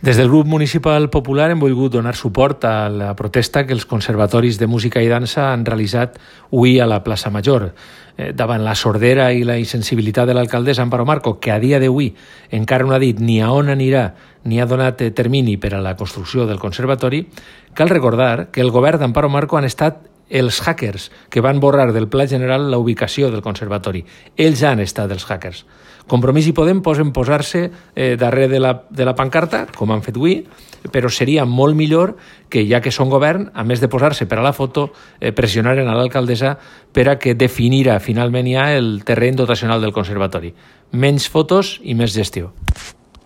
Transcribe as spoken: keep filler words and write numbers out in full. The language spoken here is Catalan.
Des del grup municipal popular hem volgut donar suport a la protesta que els conservatoris de música i dansa han realitzat avui a la plaça Major. Eh, davant la sordera i la insensibilitat de l'alcaldessa Amparo Marco, que a dia d'avui encara no ha dit ni a on anirà ni ha donat termini per a la construcció del conservatori, cal recordar que el govern d'Amparo Marco han estat els hackers que van borrar del Pla General la ubicació del conservatori. Ells han estat els hackers. Compromís i Podem posen posar-se eh, darrere de la, de la pancarta, com han fet avui, però seria molt millor que, ja que són govern, a més de posar-se per a la foto, eh, pressionaren a l'alcaldessa per a que definira finalment ja el terreny dotacional del conservatori. Menys fotos i més gestió.